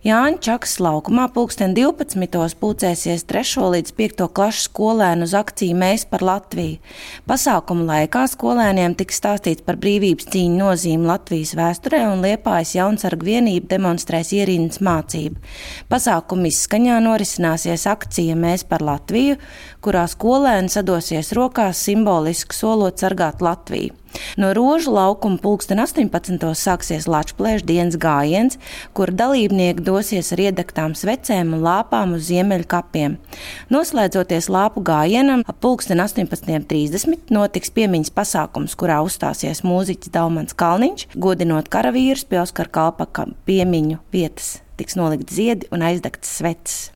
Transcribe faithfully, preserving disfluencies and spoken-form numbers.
Jāņa Čakas laukumā pulksten divpadsmitos pulcēsies trešo līdz piekto klašu skolēnu uz akciju Mēs par Latviju. Pasākuma laikā skolēniem tiks stāstīts par brīvības cīņu nozīmi Latvijas vēsturē un Liepājas Jaunsargu vienība demonstrēs ierindas mācību. Pasākuma izskaņā norisināsies akcija Mēs par Latviju, kurā skolēni sadosies rokās simboliski solot sargāt Latviju. No Rožu laukuma pulksten astoņpadsmitos sāksies Lačplēša dienas gājiens, kur dalībnieki dosies ar iedegtām svecēm un lāpām uz Ziemeļu kapiem. Noslēdzoties lāpu gājienam, ap pulksten astoņpadsmit trīsdesmit notiks piemiņas pasākums, kurā uzstāsies mūziķis Daumans Kalniņš, godinot karavīrus pie Oskara Kalpaka piemiņu vietas. Tiks nolikt ziedi un aizdegtas sveces.